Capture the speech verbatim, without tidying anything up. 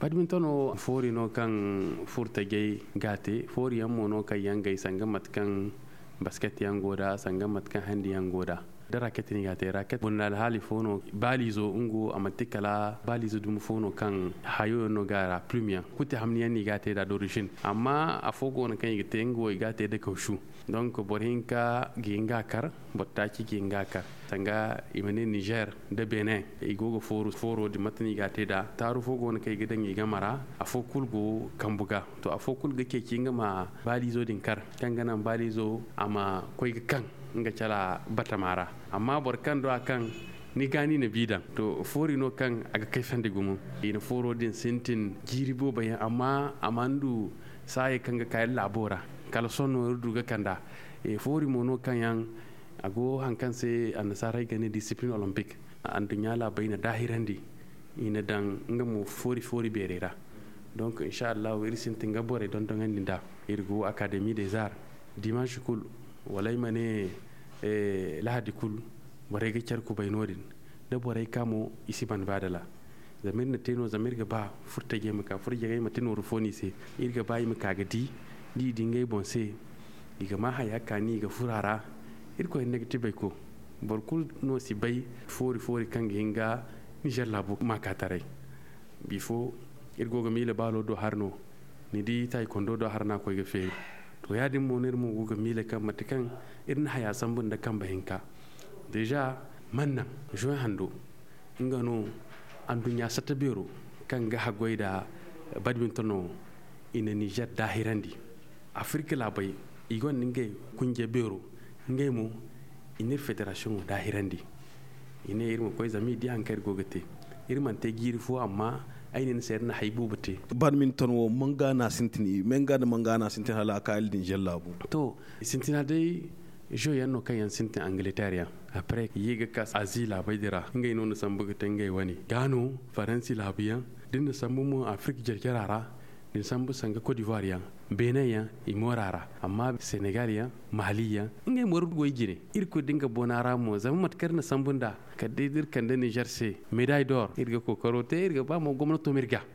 Badminton wo foori no kaŋ furtajey ga a te. Foori yaŋ mo no kaŋ yaŋ gay sanga mate kaŋ basket yaŋ go da, sanga mate kaŋ handi yaŋ go da. Da raket no i ga a te, raket bunda alhaali fo no. Baaliizo nga wo a manti kala baaliizo dumi fo no kaŋ hayo yaŋ no ga a ra, plume yaŋ kuti hamni yaŋ no i ga a te nd'a d'origine. Amma afo go no kaŋ i ga te, nga wo i ga a te nda kawsu. Donc boro hinka ga hin ga a kar, boro taaci ga hin ga a kar. Sanga i ma ne niger nda benin, i go ga fooro din mate no i ga a te nd'a. Taaru fo go no kaŋ i ga daŋ i game ra. Afo kulu go kambu ga. To, afo kulu ga ceeci nga ma baaliizo din kar, kaŋ ga naŋ baaliizo a ma koy ga kaŋ nga cala batama ra. Amma boro kaŋ do a kaŋ ni ga ni na bi daŋ, to, foori no kaŋ a ga kay sandi gumo. I na fooro din sintin jiiri boobo yaŋ, amma a mana du saayey kaŋ ga ka iri laabo ra. Kala sohõ no iri du ga kand'a. Foori mo no kaŋ yaŋ a go, hari kaŋ se annasaarey ga ne discipline olympique. Anduɲɲa laabey na daahirandi, i na daŋ nga mo foori foori beerey ra. Donc insa allahu iri sintin ga borey dondoŋandi nd'a. Iri go académie des arts, dimanche kulu, wala ay ma ne lahadi kulu, borey ga care kubay no- din. Da borey ka mo, i si ban baadala. Zama iri na te no zama iri ga ba furtajey ma ka furjagey ma te nooru fo no i se. Iri ga ba i ma ka ga di, da i di ngey boŋ se, i ga ma haya kaani i ga furo a ra. Irkoy ne ga ti bayko. Boro kulu no si bay foori foori kaŋ ga hin ga nizer laabu maakaataray. Bifo iri go ga miila baalo do hari no, ni di taaykondo do hari no a koy ga feeri. To ya- din mo no iri mo go ga miila kaŋ mate kaŋ iri na haya sambu nda kambe hinka. Deeza man naŋ, zoy hando, nga no anduɲɲa satta beero kaŋ ga haggoy nda badminton no, i na nizer daahirandi. Afirka laabey, i gonda ngey kunje beero. Ngey mo, i na iri federasiyoŋo daahirandi. I ne iri ma koy zama i di hari kaŋ iri go ga te. Iri mana te jiiri fo amma ay ne ni se iri na hay boobo te. Badminton wo manga no a sintin, manga nda manga no a sintin hala a ka iri din zallaabu? To, sintina day, zo yaŋ no kaŋ yaŋ sintin angleterre yaŋ. Après i ye ga ka azi laabey din ra, ngey no na sambu ga te ngey wane. Ga no faransi laabu yaŋ, da ni na sambu mo afirka jarjara ra, da ni sambu sanga cote d'ivoire yaŋ, benin yaŋ, i moora ra. Amma senegal yaŋ, mali yaŋ, ngey mooro goy jine. Iri kulu da nga boona ra mo zama mate kaŋ iri na sambu nd'a, kala day da iri kande nizer se medaille d'or, iri ga kookaro te, iri ga ba mo gomnato ma iri ga